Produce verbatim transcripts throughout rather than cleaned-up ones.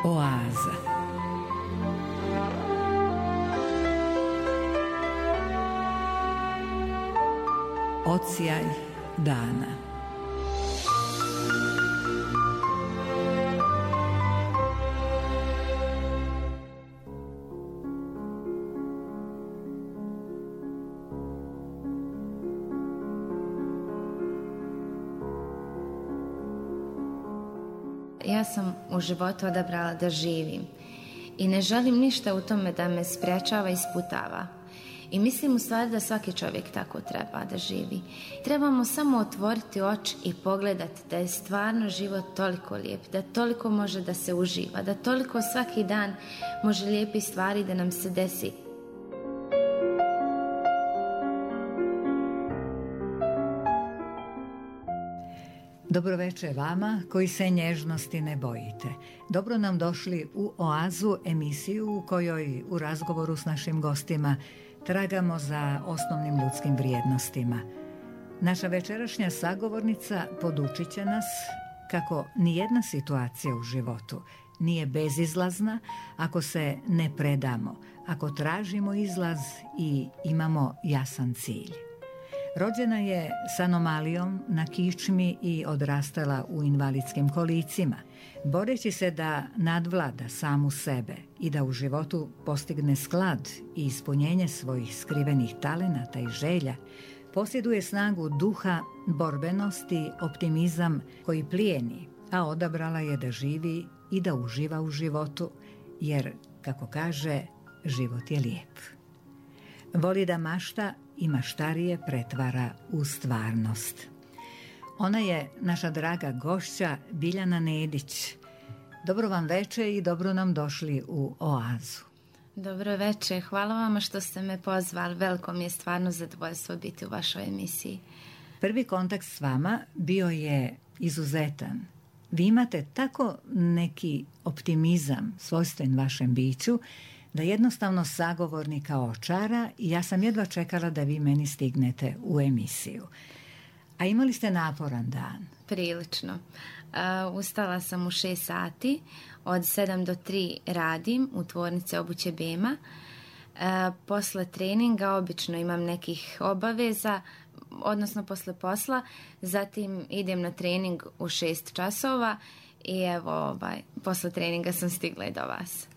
Oaza. Odsjaj dana. Ja sam u životu odabrala da živim i ne želim ništa u tome da me sprečava i sputava. I mislim u stvari da svaki čovjek tako treba da živi. Trebamo samo otvoriti oči i pogledati da je stvarno život toliko lijep, da toliko može da se uživa, da toliko svaki dan može lijepi stvari da nam se desi. Dobroveče vama koji se nježnosti ne bojite. Dobro nam došli u Oazu, emisiju u kojoj u razgovoru s našim gostima tragamo za osnovnim ljudskim vrijednostima. Naša večerašnja sagovornica podučit će nas kako nijedna situacija u životu nije bezizlazna ako se ne predamo, ako tražimo izlaz i imamo jasan cilj. Rođena je s anomalijom na kičmi i odrastala u invalidskim kolicima, boreći se da nadvlada samu sebe i da u životu postigne sklad i ispunjenje svojih skrivenih talenata i želja. Posjeduje snagu duha, borbenosti, optimizam koji plijeni, a odabrala je da živi i da uživa u životu, jer, kako kaže, život je lijep. Voli da mašta i maštarije pretvara u stvarnost. Ona je naša draga gošća Biljana Nedić. Dobro vam veče i dobro nam došli u Oazu. Dobro veče, hvala vama što ste me pozvali. Veliko mi je stvarno zadovoljstvo biti u vašoj emisiji. Prvi kontakt s vama bio je izuzetan. Vi imate tako neki optimizam svojstven vašem biću da jednostavno sagovornika očara i ja sam jedva čekala da vi meni stignete u emisiju. A imali ste naporan dan? Prilično. Uh, ustala sam u šest sati, od sedam do tri radim u tvornici obuće Bema. Uh, posle treninga obično imam nekih obaveza, odnosno posle posla, zatim idem na trening u šest časova i evo, ovaj, posle treninga sam stigla i do vas.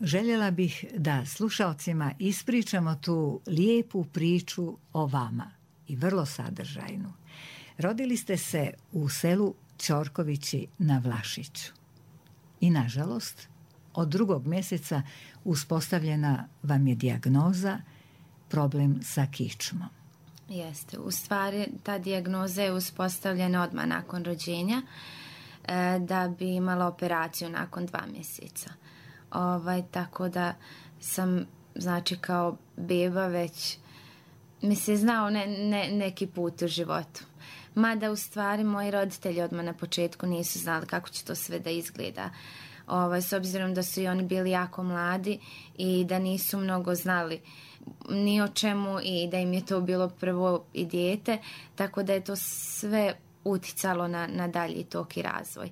Željela bih da slušalcima ispričamo tu lijepu priču o vama i vrlo sadržajnu. Rodili ste se u selu Ćorkovići na Vlašiću. I nažalost, od drugog mjeseca uspostavljena vam je dijagnoza problem sa kičmom. Jeste, u stvari ta dijagnoza je uspostavljena odmah nakon rođenja e, da bi imala operaciju nakon dva mjeseca. Ovaj, tako da sam, znači, kao beba već mi se znao ne, ne, neki put u životu. Mada u stvari moji roditelji odmah na početku nisu znali kako će to sve da izgleda. Ovaj, s obzirom da su i oni bili jako mladi i da nisu mnogo znali ni o čemu i da im je to bilo prvo i dijete, tako da je to sve uticalo na, na dalji tok i razvoj.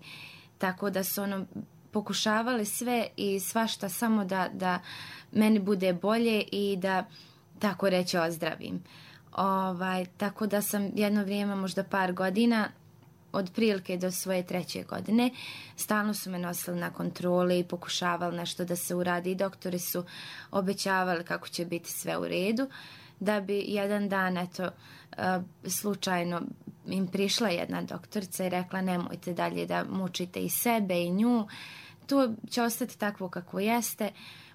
Tako da su ono pokušavali sve i svašta samo da, da meni bude bolje i da, tako reći, ozdravim. Ovaj, tako da sam jedno vrijeme, možda par godina, od prilike do svoje treće godine, stalno su me nosili na kontrole i pokušavali nešto da se uradi. Doktori su obećavali kako će biti sve u redu, da bi jedan dan, eto, slučajno im prišla jedna doktorica i rekla nemojte dalje da mučite i sebe i nju, to će ostati takvo kako jeste,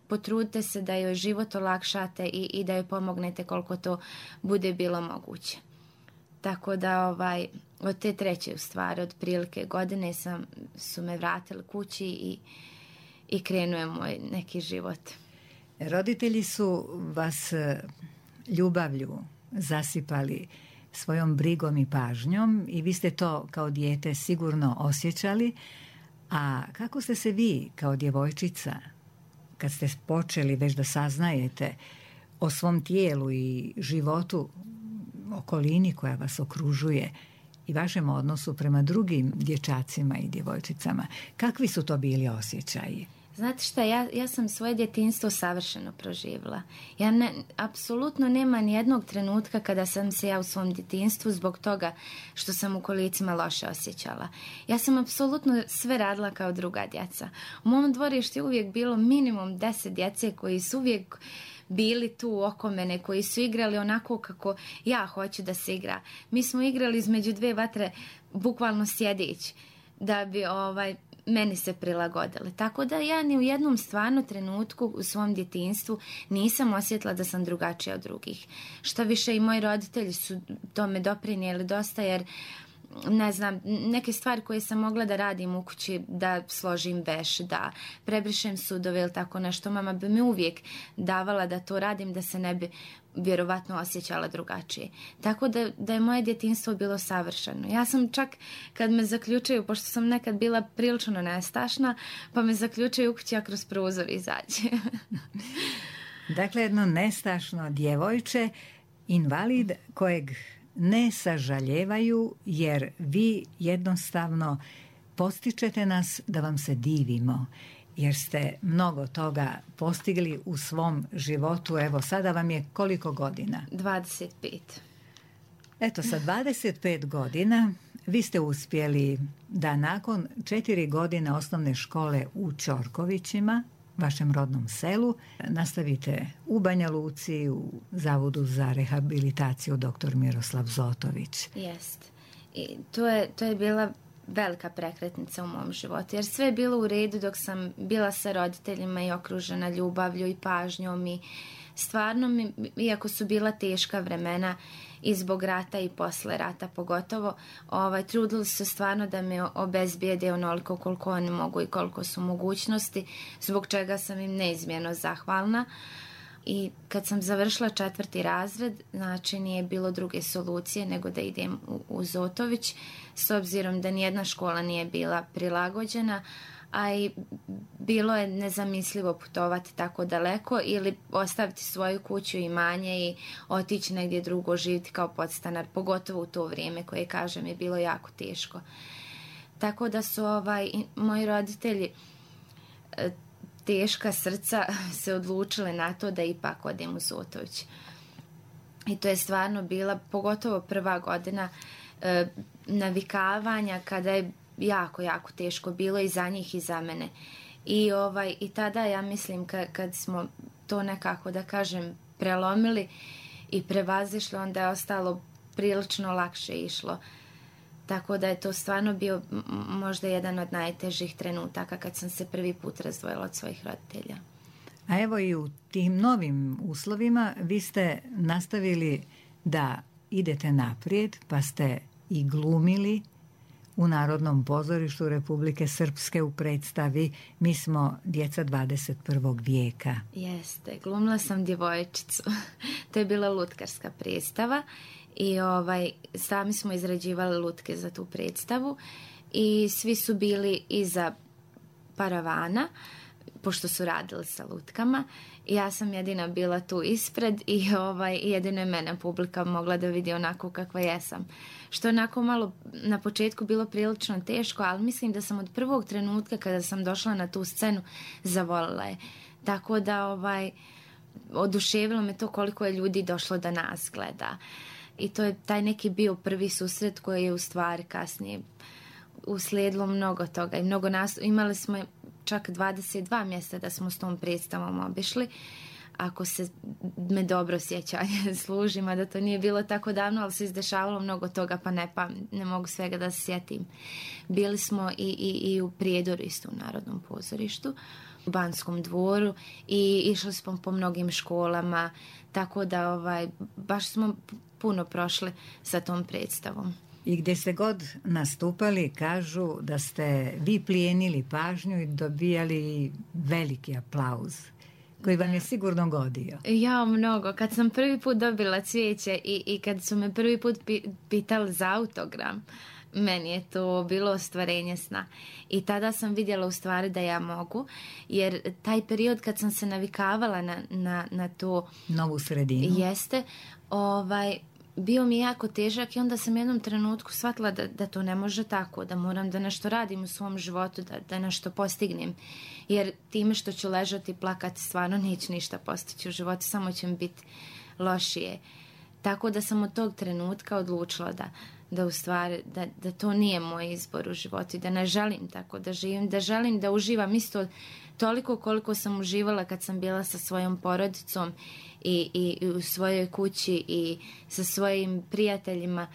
potrudite se da joj život olakšate i, i da joj pomognete koliko to bude bilo moguće. Tako da ovaj, od te treće u stvari, od prilike godine sam, su me vratili kući i, i krenuo je moj neki život. Roditelji su vas ljubavlju zasipali svojom brigom i pažnjom i vi ste to kao dijete sigurno osjećali. A kako ste se vi kao djevojčica, kad ste počeli već da saznajete o svom tijelu i životu, okolini koja vas okružuje, i vašem odnosu prema drugim dječacima i djevojčicama. Kakvi su to bili osjećaji? Znate šta, ja, ja sam svoje djetinjstvo savršeno proživjela. Ja ne, apsolutno nema ni jednog trenutka kada sam se ja u svom djetinjstvu zbog toga što sam u kolicima loše osjećala. Ja sam apsolutno sve radila kao druga djeca. U mom dvorištu je uvijek bilo minimum deset djece koji su uvijek bili tu oko mene, koji su igrali onako kako ja hoću da se igra. Mi smo igrali između dve vatre bukvalno sjedići da bi ovaj meni se prilagodile. Tako da ja ni u jednom stvarno trenutku u svom djetinjstvu nisam osjetila da sam drugačija od drugih. Šta više i moji roditelji su tome doprinijeli dosta, jer ne znam, neke stvari koje sam mogla da radim u kući, da složim veš, da prebrišem sudove ili tako nešto, mama bi mi uvijek davala da to radim, da se ne bi vjerovatno osjećala drugačije. Tako da, da je moje djetinjstvo bilo savršeno. Ja sam čak, kad me zaključaju, pošto sam nekad bila prilično nestašna, pa me zaključaju u kući, a kroz prozor izađe. Dakle, jedno nestašno djevojče, invalid kojeg ne sažaljevaju, jer vi jednostavno postičete nas da vam se divimo, jer ste mnogo toga postigli u svom životu. Evo, sada vam je koliko godina? dvadeset pet. Eto, sa dvadeset pet godina vi ste uspjeli da nakon četiri godine osnovne škole u Ćorkovićima, vašem rodnom selu, nastavite u Banja Luci u Zavodu za rehabilitaciju doktor Miroslav Zotović. Jest. I to je, to je bila velika prekretnica u mom životu, jer sve je bilo u redu dok sam bila sa roditeljima i okružena ljubavlju i pažnjom i stvarno mi, iako su bila teška vremena i zbog rata i posle rata pogotovo, ovaj, trudili su se stvarno da me obezbijede onoliko koliko oni mogu i koliko su mogućnosti, zbog čega sam im neizmjerno zahvalna. I kad sam završila četvrti razred, znači nije bilo druge solucije nego da idem u, u Zotović, s obzirom da nijedna škola nije bila prilagođena, a i bilo je nezamislivo putovati tako daleko ili ostaviti svoju kuću i imanje i otići negdje drugo živjeti kao podstanar, pogotovo u to vrijeme koje, kažem, je bilo jako teško. Tako da su ovaj, moji roditelji teška srca se odlučile na to da ipak odem u Zotović. I to je stvarno bila, pogotovo prva godina e, navikavanja, kada je jako, jako teško bilo i za njih i za mene. I, ovaj, i tada ja mislim kad, kad smo to nekako, da kažem, prelomili i prevazišli, onda je ostalo prilično lakše išlo. Tako da je to stvarno bio možda jedan od najtežih trenutaka kad sam se prvi put razdvojila od svojih roditelja. A evo i u tim novim uslovima vi ste nastavili da idete naprijed, pa ste i glumili u Narodnom pozorištu Republike Srpske u predstavi Mi smo djeca dvadeset prvog vijeka. Jeste, glumila sam djevojčicu. To je bila lutkarska predstava. I ovaj, sami smo izrađivali lutke za tu predstavu i svi su bili iza paravana, pošto su radili sa lutkama. I ja sam jedina bila tu ispred i ovaj, jedino je mene publika mogla da vidi onako kakva jesam. Što onako malo na početku bilo prilično teško, ali mislim da sam od prvog trenutka kada sam došla na tu scenu zavolila je. Tako da ovaj, oduševilo me to koliko je ljudi došlo da nas gleda. I to je taj neki bio prvi susret koji je u stvari kasnije uslijedilo mnogo toga. I mnogo nas, imali smo čak dvadeset dva mjesta da smo s tom predstavom obišli. Ako se me dobro sjećanje služi, mada to nije bilo tako davno, ali se izdešavalo mnogo toga, pa ne, pa ne mogu svega da se sjetim. Bili smo i, i, i u Prijedoru, isto u Narodnom pozorištu, u Banskom dvoru i išli smo po mnogim školama, tako da ovaj, baš smo puno prošli sa tom predstavom. I gdje ste god nastupali, kažu da ste vi plijenili pažnju i dobijali veliki aplauz, koji vam je sigurno godio. Ja, mnogo. Kad sam prvi put dobila cvijeće i, i kad su me prvi put pi, pitali za autogram, meni je to bilo ostvarenje sna. I tada sam vidjela u stvari da ja mogu, jer taj period kad sam se navikavala na, na, na to novu sredinu, jeste, ovaj, bio mi jako težak i onda sam jednom trenutku shvatila da, da to ne može tako, da moram da nešto radim u svom životu, da, da nešto postignem. Jer time što ću ležati i plakati stvarno neću ništa postići u životu, samo će mi biti lošije. Tako da sam od tog trenutka odlučila da, da u stvari, da, da to nije moj izbor u životu i da ne želim tako da živim, da želim da uživam isto toliko koliko sam uživala kad sam bila sa svojom porodicom i, i, i u svojoj kući i sa svojim prijateljima.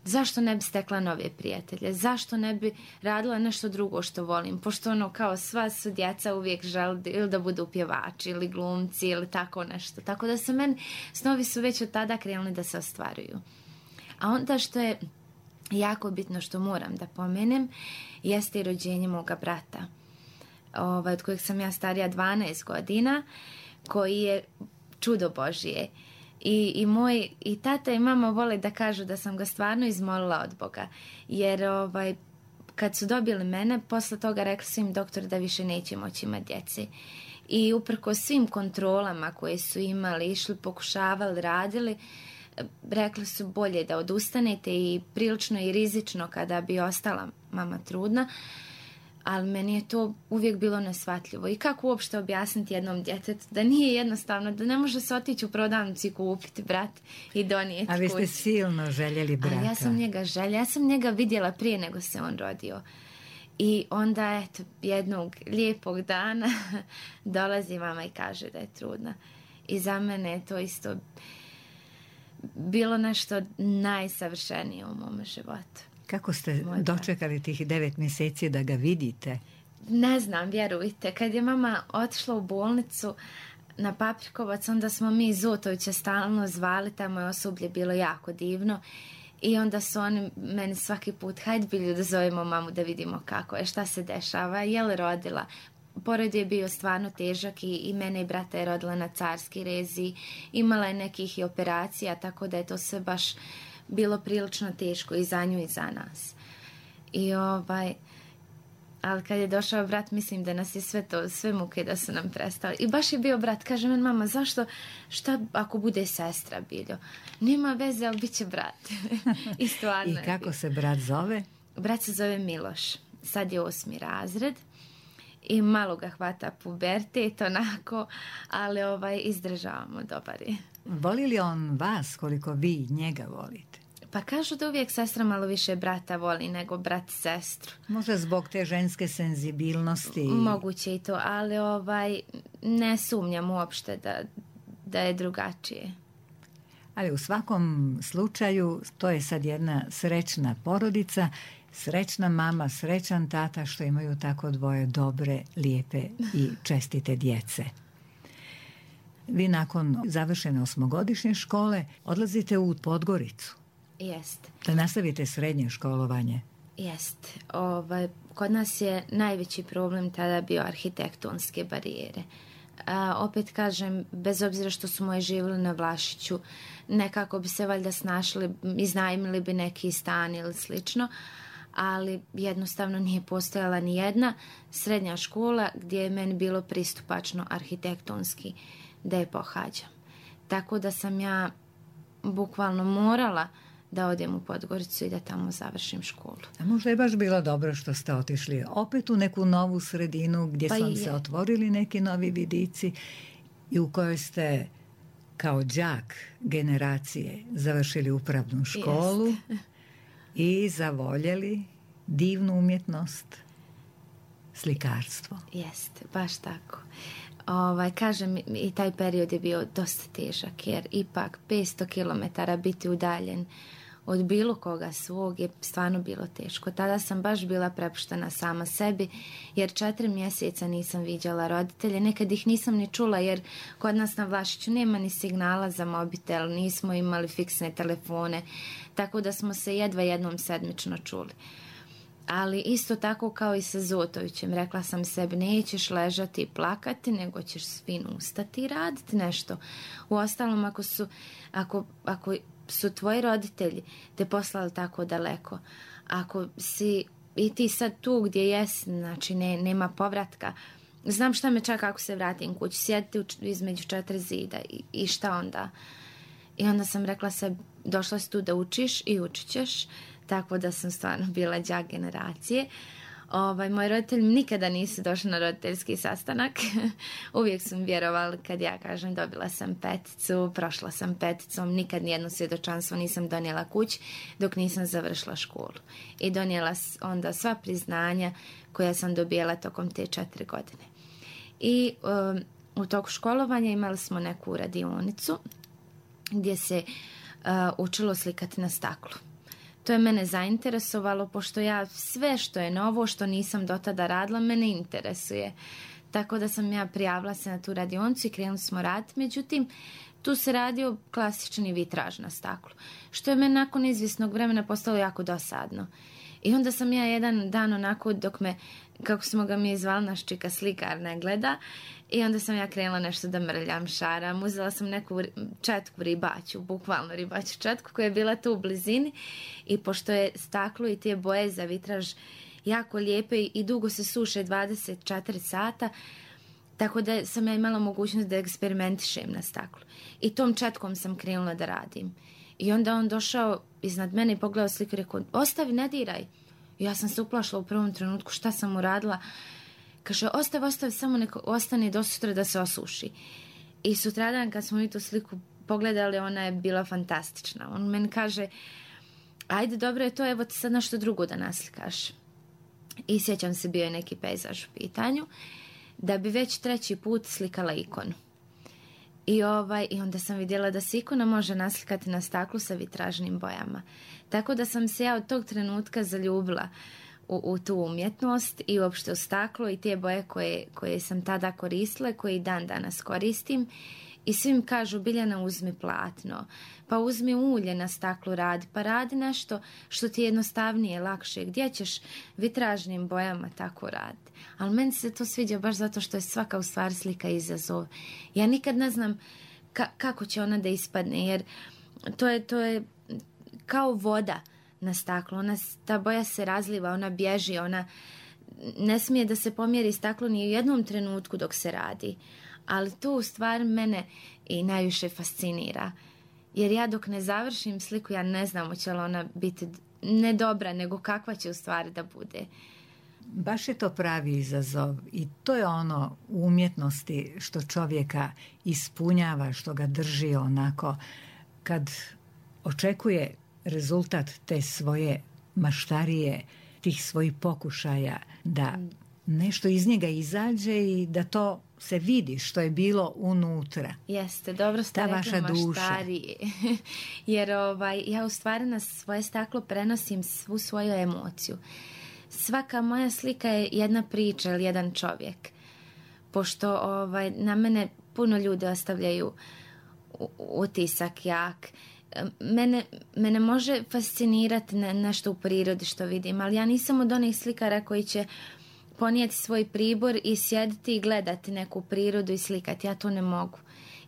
Zašto ne bi stekla nove prijatelje? Zašto ne bi radila nešto drugo što volim? Pošto ono kao sva su djeca uvijek žele ili da budu pjevači ili glumci ili tako nešto. Tako da se meni snovi su već od tada krenuli da se ostvaruju. A onda što je jako bitno što moram da pomenem jeste i rođenje moga brata. Ovaj, od kojeg sam ja starija dvanaest godina, koji je čudo Božije. I, i moj i tata i mama vole da kažu da sam ga stvarno izmolila od Boga. Jer ovaj, kad su dobili mene, posle toga rekli su im doktor da više neće moći imati djece. I uprko svim kontrolama koje su imali, išli, pokušavali, radili, rekli su bolje da odustanete i prilično i rizično kada bi ostala mama trudna. Ali meni je to uvijek bilo neshvatljivo. I kako uopšte objasniti jednom djetetu da nije jednostavno, da ne može se otići u prodavnicu i kupiti brat i donijeti kući. A vi ste silno željeli brata. A ja sam njega željela. Ja sam njega vidjela prije nego se on rodio. I onda, eto, jednog lijepog dana dolazi mama i kaže da je trudna. I za mene je to isto bilo nešto najsavršenije u mom životu. Kako ste dočekali tih devet mjeseci da ga vidite? Ne znam, vjerujte. Kad je mama otišla u bolnicu na Paprikovac, onda smo mi iz Zotovića stalno zvali, tamo je osoblje bilo jako divno. I onda su oni meni svaki put, hajde Bilju da zovemo mamu da vidimo kako je, šta se dešava, je li rodila. Porod je bio stvarno težak i, i mene i brata je rodila na carski rezi. Imala je nekih i operacija, tako da je to sve baš bilo prilično teško i za nju i za nas. I ovaj, ali kad je došao brat, mislim da nas je sve to, sve muke da su nam prestali. I baš je bio brat, kaže men mama, zašto, šta ako bude sestra, Biljo? Nema veze, ali bit će brat. I stvarno I kako se brat zove? Brat se zove Miloš, sad je osmi razred i malo ga hvata pubertet, onako, ali ovaj, izdržavamo, dobar je. Voli li on vas koliko vi njega volite? Pa kažu da uvijek sestra malo više brata voli nego brat sestru. Možda zbog te ženske senzibilnosti. Moguće i to, ali ovaj, ne sumnjam uopšte da, da je drugačije. Ali u svakom slučaju to je sad jedna srećna porodica, srećna mama, srećan tata što imaju tako dvoje dobre, lijepe i čestite djece. Vi nakon završene osmogodišnje škole odlazite u Podgoricu. Jest. Da nastavite srednje školovanje. Jest. Ovaj, kod nas je najveći problem tada bio arhitektonske barijere. A, opet kažem, bez obzira što su moji živjeli na Vlašiću, nekako bi se valjda snašli, iznajmili bi neki stan ili slično, ali jednostavno nije postojala ni jedna srednja škola gdje je meni bilo pristupačno arhitektonski da je pohađam. Tako da sam ja bukvalno morala da odem u Podgoricu i da tamo završim školu. A možda je baš bilo dobro što ste otišli opet u neku novu sredinu gdje pa su vam se otvorili neki novi vidici i u kojoj ste kao đak generacije završili upravnu školu. Jest. I zavoljeli divnu umjetnost, slikarstvo. Jeste, baš tako. Ovaj, kažem, i taj period je bio dosta težak, jer ipak petsto kilometara biti udaljen od bilo koga svog je stvarno bilo teško. Tada sam baš bila prepuštena sama sebi, jer četiri mjeseca nisam viđala roditelje. Nekad ih nisam ni čula, jer kod nas na Vlašiću nema ni signala za mobitel, nismo imali fiksne telefone, tako da smo se jedva jednom sedmično čuli. Ali isto tako kao i sa Zotovićem, rekla sam sebi, nećeš ležati i plakati, nego ćeš svin ustati i raditi nešto. Uostalom, ako su, ako, ako su tvoji roditelji te poslali tako daleko, ako si i ti sad tu gdje jesi, znači ne, nema povratka, znam šta me čak ako se vratim kući, sjediti između četiri zida i, i šta onda? I onda sam rekla se, došla si tu da učiš i učit ćeš, tako da sam stvarno bila đak generacije. Ovaj, moji roditelji nikada nisu došli na roditeljski sastanak. Uvijek su mi vjerovali kad ja kažem dobila sam peticu, prošla sam peticom, nikad nijedno svjedočanstvo nisam donijela kući dok nisam završila školu. I donijela onda sva priznanja koja sam dobijela tokom te četiri godine. I um, u toku školovanja imali smo neku radionicu gdje se uh, učilo slikati na staklu. To je mene zainteresovalo, pošto ja sve što je novo, što nisam do tada radila, mene interesuje. Tako da sam ja prijavila se na tu radionicu i krenuli smo raditi. Međutim, tu se radio klasični vitraž na staklu, što je meni nakon izvjesnog vremena postalo jako dosadno. I onda sam ja jedan dan onako, dok me, kako smo ga mi zvali, naš čika slikar ne gleda, i onda sam ja krenula nešto da mrljam, šaram. Uzela sam neku četku ribaću, bukvalno ribaću četku koja je bila tu u blizini, i pošto je staklo i te boje za vitraž jako lijepe i dugo se suše, dvadeset četiri sata, tako da sam ja imala mogućnost da eksperimentišem na staklu. I tom četkom sam krenula da radim. I onda on došao iznad mene i pogledao sliku i rekao, ostavi, ne diraj. I ja sam se uplašila u prvom trenutku šta sam uradila. Kaže, ostavi, ostavi, samo neko ostane do sutra da se osuši. I sutradan kad smo mi tu sliku pogledali, ona je bila fantastična. On meni kaže, ajde, dobro je to, evo ti sad nešto drugo da naslikaš. I sjećam se, bio je neki pejzaž u pitanju, da bi već treći put slikala ikonu. I, ovaj, I onda sam vidjela da se ikona može naslikati na staklu sa vitražnim bojama. Tako da sam se ja od tog trenutka zaljubila u, u tu umjetnost i uopšte u staklo i te boje koje, koje sam tada koristila, koje i dan danas koristim. I svim kažu, Biljana, uzmi platno, pa uzmi ulje na staklu radi, pa radi nešto što ti je jednostavnije, lakše. Gdje ćeš vitražnim bojama tako raditi? Ali meni se to sviđa baš zato što je svaka u stvari slika izazov. Ja nikad ne znam ka- kako će ona da ispadne, jer to je, to je kao voda na staklu. Ona, ta boja se razliva, ona bježi, ona ne smije da se pomjeri staklo ni u jednom trenutku dok se radi. Ali to u stvari mene i najviše fascinira. Jer ja dok ne završim sliku, ja ne znam hoće li ona biti ne dobra, nego kakva će u stvari da bude. Baš je to pravi izazov i to je ono u umjetnosti što čovjeka ispunjava, što ga drži onako. Kad očekuje rezultat te svoje maštarije, tih svojih pokušaja, da nešto iz njega izađe i da to se vidi što je bilo unutra. Jeste, dobro ste ta rekli maštarije. Jer ovaj, ja u stvari na svoje staklo prenosim svu svoju emociju. Svaka moja slika je jedna priča ili jedan čovjek. Pošto ovaj, na mene puno ljudi ostavljaju utisak jak. Mene, mene može fascinirati ne, nešto u prirodi što vidim, ali ja nisam od onih slikara koji će ponijeti svoj pribor i sjediti i gledati neku prirodu i slikati. Ja to ne mogu.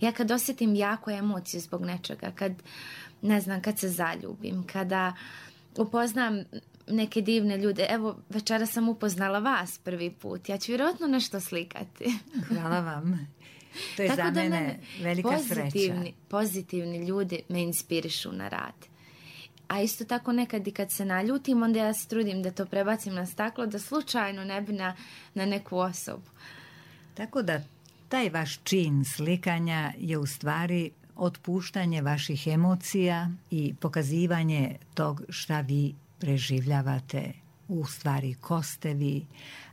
Ja kad osjetim jako emociju zbog nečega, kad, ne znam, kad se zaljubim, kada upoznam neke divne ljude, evo večera sam upoznala vas prvi put, ja ću vjerojatno nešto slikati. Hvala vam. To je Tako za da mene, mene velika pozitivni, sreća. Pozitivni ljudi me inspirišu na rad. A isto tako nekad i kad se naljutim, onda ja se trudim da to prebacim na staklo, da slučajno ne bi na, na neku osobu. Tako da taj vaš čin slikanja je u stvari otpuštanje vaših emocija i pokazivanje tog šta vi preživljavate, u stvari ko ste vi.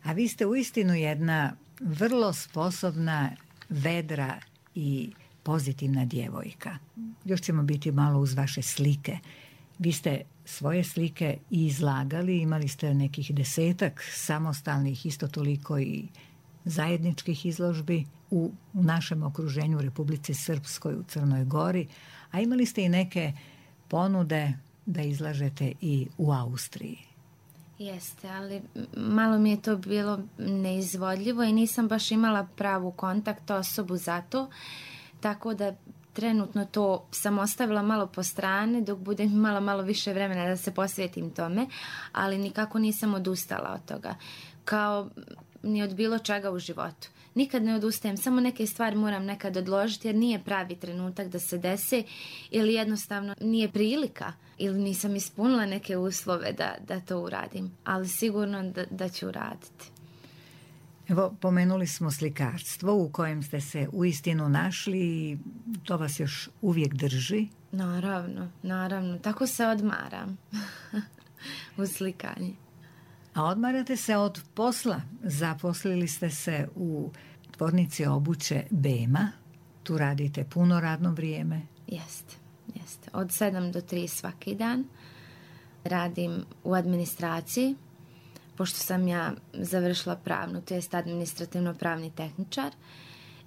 A vi ste uistinu jedna vrlo sposobna, vedra i pozitivna djevojka. Još ćemo biti malo uz vaše slike. Vi ste svoje slike i izlagali, imali ste nekih desetak samostalnih, isto toliko i zajedničkih izložbi u, u našem okruženju, u Republici Srpskoj, u Crnoj Gori, a imali ste i neke ponude da izlažete i u Austriji. Jeste, ali malo mi je to bilo neizvodljivo i nisam baš imala pravu kontakt osobu za to, tako da trenutno to sam ostavila malo po strani dok budem imala malo više vremena da se posvetim tome, ali nikako nisam odustala od toga. Kao ni od bilo čega u životu. Nikad ne odustajem, samo neke stvari moram nekad odložiti jer nije pravi trenutak da se dese ili jednostavno nije prilika ili nisam ispunila neke uslove da, da to uradim, ali sigurno da, da ću uraditi. Evo, pomenuli smo slikarstvo u kojem ste se uistinu našli i to vas još uvijek drži. Naravno, naravno. Tako se odmaram u slikanju. A odmarate se od posla. Zaposlili ste se u tvornici obuće Bema. Tu radite puno radno vrijeme. Jeste, jeste. Od sedam do tri svaki dan. Radim u administraciji, pošto sam ja završila pravnu, to jest administrativno-pravni tehničar.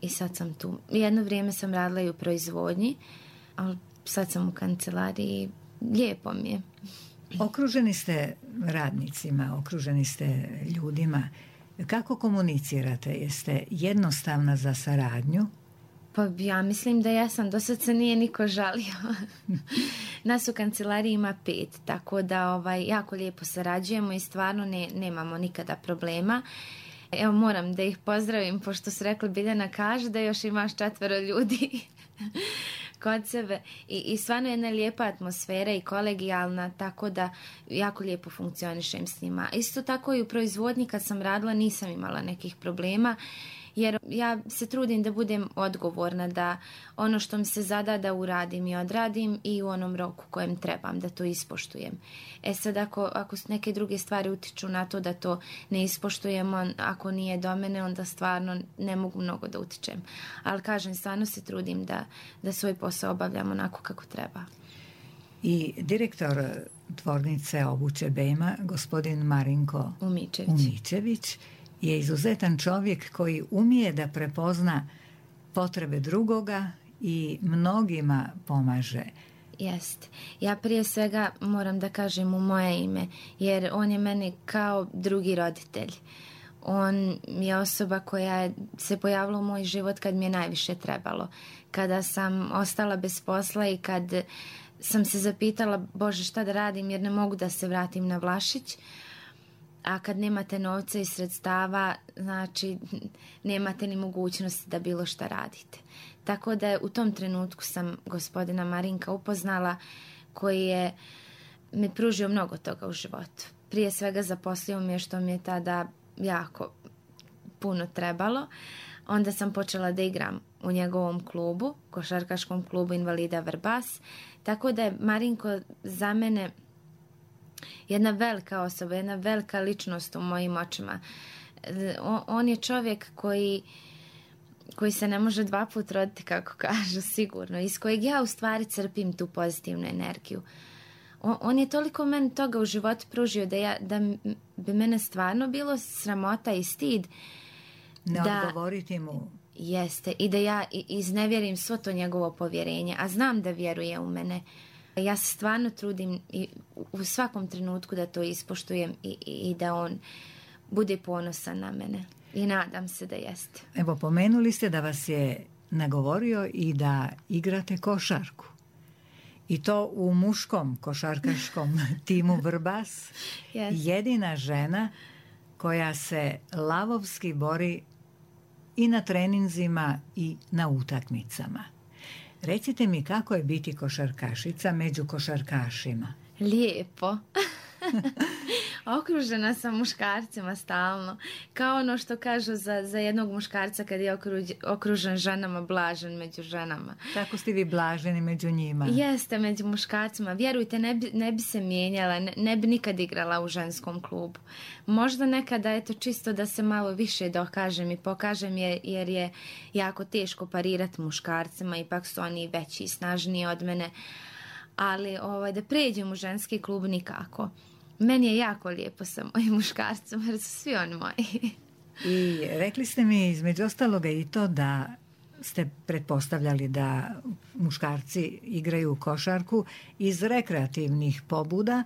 I sad sam tu. Jedno vrijeme sam radila i u proizvodnji, ali sad sam u kancelariji. Lijepo mi je. Okruženi ste radnicima, okruženi ste ljudima. Kako komunicirate? Jeste jednostavna za saradnju? Pa ja mislim da ja sam. Do sad se nije niko žalio. Nas u kancelariji ima pet, tako da ovaj, jako lijepo sarađujemo i stvarno ne, nemamo nikada problema. Evo, moram da ih pozdravim, pošto su rekli, Biljana kaže da još imaš četvero ljudi kod sebe. I, i stvarno jedna lijepa atmosfera i kolegijalna, tako da jako lijepo funkcionišem s njima. Isto tako i u proizvodnji kad sam radila nisam imala nekih problema, jer ja se trudim da budem odgovorna, da ono što mi se zada da uradim i odradim i u onom roku kojem trebam da to ispoštujem. E sad ako, ako neke druge stvari utiču na to da to ne ispoštujemo, ako nije do mene, onda stvarno ne mogu mnogo da utičem. Ali kažem, stvarno se trudim da, da svoj posao obavljam onako kako treba. I direktor tvornice obuće Bema, gospodin Marinko Umičević, Umičević je izuzetan čovjek koji umije da prepozna potrebe drugoga i mnogima pomaže. Jest. Ja prije svega moram da kažem u moje ime, jer on je meni kao drugi roditelj. On je osoba koja se pojavila u moj život kad mi je najviše trebalo. Kada sam ostala bez posla i kad sam se zapitala, Bože, šta da radim jer ne mogu da se vratim na Vlašić. A kad nemate novca i sredstava, znači nemate ni mogućnosti da bilo šta radite. Tako da u tom trenutku sam gospodina Marinka upoznala, koji je mi pružio mnogo toga u životu. Prije svega zaposlio mi je što mi je tada jako puno trebalo. Onda sam počela da igram u njegovom klubu, košarkaškom klubu invalida Vrbas. Tako da je Marinko za mene jedna velika osoba, jedna velika ličnost u mojim očima. On je čovjek koji, koji se ne može dva put roditi, kako kažu, sigurno, iz kojeg ja u stvari crpim tu pozitivnu energiju. On, on je toliko meni toga u životu pružio da, ja, da bi mene stvarno bilo sramota i stid ne da odgovoriti mu. Jeste, i da ja iznevjerim svo to njegovo povjerenje, a znam da vjeruje u mene. Ja se stvarno trudim i u svakom trenutku da to ispoštujem i, i, i da on bude ponosan na mene. I nadam se da jeste. Evo, pomenuli ste da vas je nagovorio i da igrate košarku. I to u muškom košarkaškom timu Vrbas. Yes. Jedina žena koja se lavovski bori i na treninzima i na utakmicama. Recite mi kako je biti košarkašica među košarkašima? Lijepo. Okružena sam muškarcima stalno. Kao ono što kažu za, za jednog muškarca kad je okruž, okružen ženama, blažen među ženama. Tako ste vi blaženi među njima? Jeste, među muškarcima. Vjerujte, ne bi, ne bi se mijenjala, ne, ne bi nikad igrala u ženskom klubu. Možda nekada je to čisto da se malo više dokažem i pokažem jer, jer je jako teško parirati muškarcima, ipak su oni veći i snažniji od mene. Ali ovaj, da pređem u ženski klub nikako. Meni je jako lijepo sa mojim muškarcima jer su svi oni moji. I rekli ste mi između ostaloga i to da ste pretpostavljali da muškarci igraju košarku iz rekreativnih pobuda.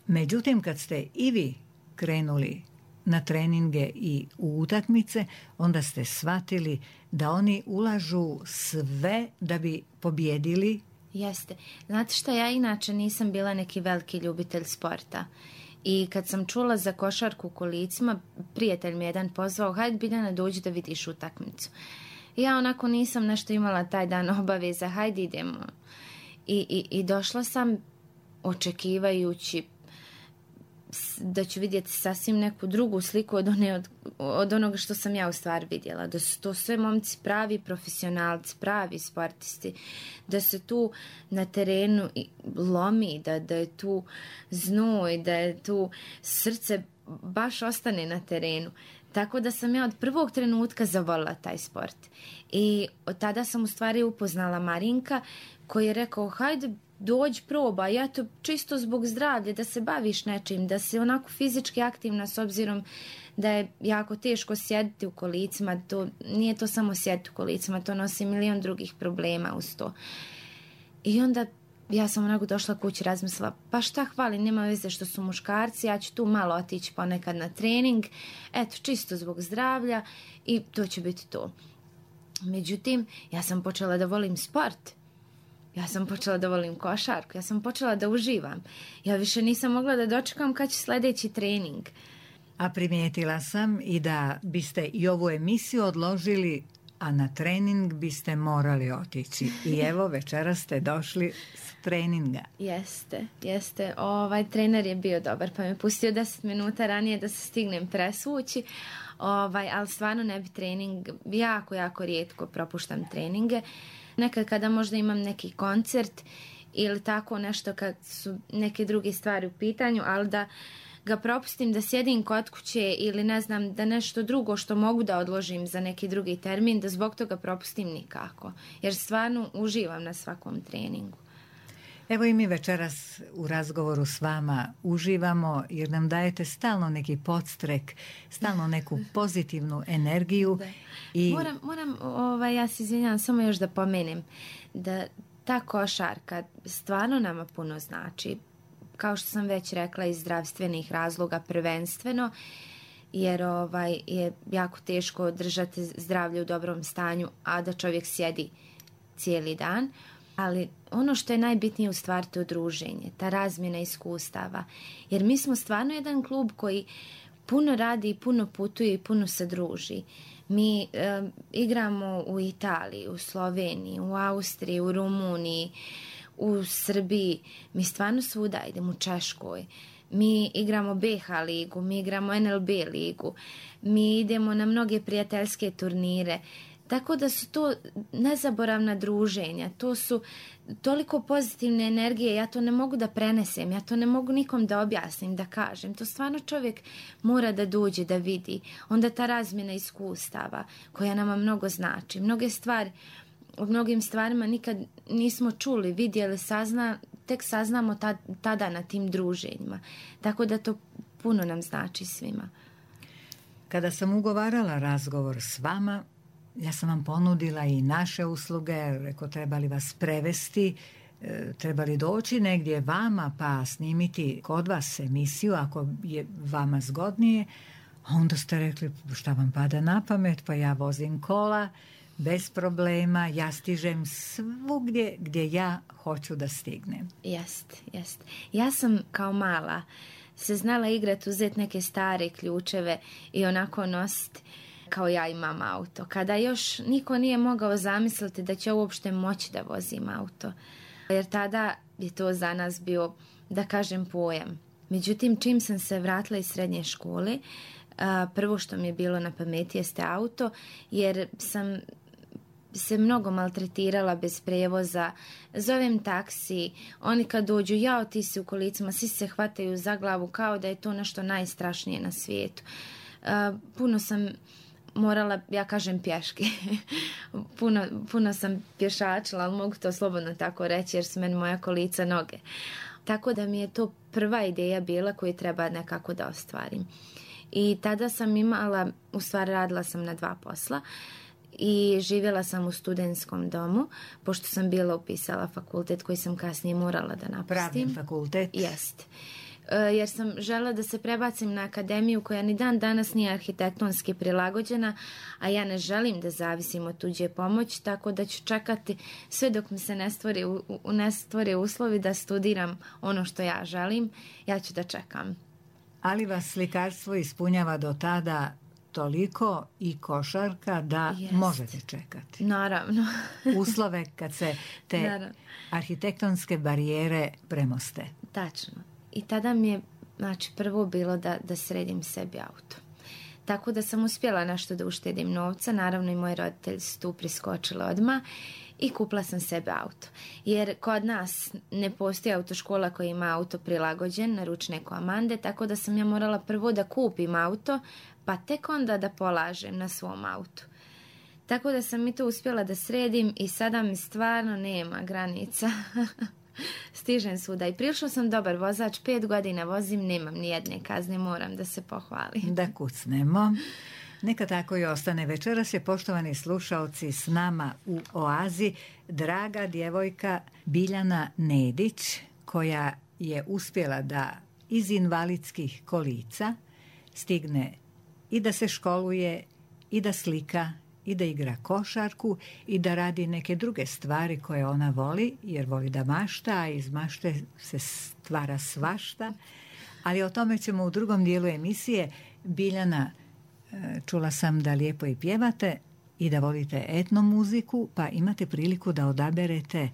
Međutim, kad ste i vi krenuli na treninge i u utakmice, onda ste shvatili da oni ulažu sve da bi pobjedili. Jeste. Znate što, ja inače nisam bila neki veliki ljubitelj sporta. I kad sam čula za košarku u kolicima, prijatelj mi jedan pozvao, hajde Biljana dođi da vidiš utakmicu. Ja onako nisam nešto imala taj dan obaveza, hajde idemo. I, i, i došla sam očekivajući da ću vidjeti sasvim neku drugu sliku od, one, od, od onoga što sam ja u stvari vidjela. Da su to sve momci pravi profesionalci, pravi sportisti. Da se tu na terenu lomi, da, da je tu znoj, da je tu srce baš ostane na terenu. Tako da sam ja od prvog trenutka zavolila taj sport. I od tada sam u stvari upoznala Marinka koji je rekao hajde dođi proba, ja to čisto zbog zdravlja, da se baviš nečim, da si onako fizički aktivna s obzirom da je jako teško sjediti u kolicima. To, nije to samo sjediti u kolicima, to nosi milion drugih problema uz to. I onda ja sam onako došla kući, razmislila, pa šta hvali, nema veze što su muškarci, ja ću tu malo otići ponekad na trening, eto, čisto zbog zdravlja i to će biti to. Međutim, ja sam počela da volim sport. Ja sam počela da volim košarku, ja sam počela da uživam. Ja više nisam mogla da dočekam kad će sljedeći trening. A primijetila sam i da biste i ovu emisiju odložili, a na trening biste morali otići. I evo, večeras ste došli s treninga. Jeste, jeste. Ovaj trener je bio dobar, pa me pustio deset minuta ranije da se stignem presvući. Ovaj, ali stvarno ne bi trening, jako, jako rijetko propuštam treninge. Nekad kada možda imam neki koncert ili tako nešto kad su neke druge stvari u pitanju, ali da ga propustim da sjedim kod kuće ili ne znam da nešto drugo što mogu da odložim za neki drugi termin, da zbog toga propustim nikako. Jer stvarno uživam na svakom treningu. Evo i mi večeras u razgovoru s vama uživamo jer nam dajete stalno neki podstrek, stalno neku pozitivnu energiju. I... Moram, moram ovaj, ja se izvinjam, samo još da pomenem da ta košarka stvarno nama puno znači. Kao što sam već rekla, iz zdravstvenih razloga prvenstveno, jer ovaj, je jako teško držati zdravlje u dobrom stanju, a da čovjek sjedi cijeli dan. Ali ono što je najbitnije u stvari to druženje, ta razmjena iskustava. Jer mi smo stvarno jedan klub koji puno radi, puno putuje i puno se druži. Mi e, igramo u Italiji, u Sloveniji, u Austriji, u Rumuniji, u Srbiji. Mi stvarno svuda idemo, u Češkoj. Mi igramo B H ligu, mi igramo N L B ligu. Mi idemo na mnoge prijateljske turnire. Tako da su to nezaboravna druženja, to su toliko pozitivne energije, ja to ne mogu da prenesem, ja to ne mogu nikom da objasnim, da kažem. To stvarno čovjek mora da dođe, da vidi. Onda ta razmjena iskustava koja nama mnogo znači. Mnoge stvari, o mnogim stvarima nikad nismo čuli, vidjeli, sazna, tek saznamo ta, tada na tim druženjima. Tako da to puno nam znači svima. Kada sam ugovarala razgovor s vama, ja sam vam ponudila i naše usluge, rekao trebali vas prevesti, e, trebali doći negdje vama pa snimiti kod vas emisiju ako je vama zgodnije. A onda ste rekli šta vam pada na pamet, pa ja vozim kola bez problema, ja stižem svugdje gdje ja hoću da stignem. Jest, jest. Ja sam kao mala se znala igrati, uzeti neke stare ključeve i onako nositi kao ja imam auto. Kada još niko nije mogao zamisliti da će uopšte moći da vozim auto. Jer tada je to za nas bio, da kažem, pojam. Međutim, čim sam se vratila iz srednje škole, prvo što mi je bilo na pameti jeste auto, jer sam se mnogo maltretirala bez prijevoza, zovem taksi, oni kad dođu, jao ti si u kolicima, svi se hvataju za glavu kao da je to nešto najstrašnije na svijetu. Puno sam morala, ja kažem, pješke. puno, puno sam pješačila, ali mogu to slobodno tako reći jer su meni moja kolica noge. Tako da mi je to prva ideja bila koju treba nekako da ostvarim. I tada sam imala, u stvari radila sam na dva posla i živjela sam u studentskom domu, pošto sam bila upisala fakultet koji sam kasnije morala da napustim. Pravni fakultet? Jest. Jer sam žela da se prebacim na akademiju koja ni dan danas nije arhitektonski prilagođena, a ja ne želim da zavisim od tuđe pomoći, tako da ću čekati sve dok mi se ne stvore, ne stvore uslovi da studiram ono što ja želim, ja ću da čekam. Ali vas slikarstvo ispunjava do tada toliko i košarka da Jest. možete čekati. Naravno. Uslove kad se te Naravno. arhitektonske barijere premoste. Tačno. I tada mi je, znači, prvo bilo da, da sredim sebi auto. Tako da sam uspjela nešto da uštedim novca. Naravno i moji roditelji su tu priskočili odmah i kupila sam sebe auto. Jer kod nas ne postoji autoškola koja ima auto prilagođen na ručne komande, tako da sam ja morala prvo da kupim auto, pa tek onda da polažem na svom autu. Tako da sam i to uspjela da sredim i sada mi stvarno nema granica. Stižem svuda i prilično sam dobar vozač, pet godina vozim, nemam ni jedne kazne, moram da se pohvalim. Da kucnemo. Neka tako i ostane. Večeras je, poštovani slušaoci, s nama u Oazi draga djevojka Biljana Nedić, koja je uspjela da iz invalidskih kolica stigne i da se školuje, i da slika, i da igra košarku, i da radi neke druge stvari koje ona voli, jer voli da mašta, a iz mašte se stvara svašta. Ali o tome ćemo u drugom dijelu emisije. Biljana, čula sam da lijepo i pjevate i da volite etno muziku, pa imate priliku da odaberete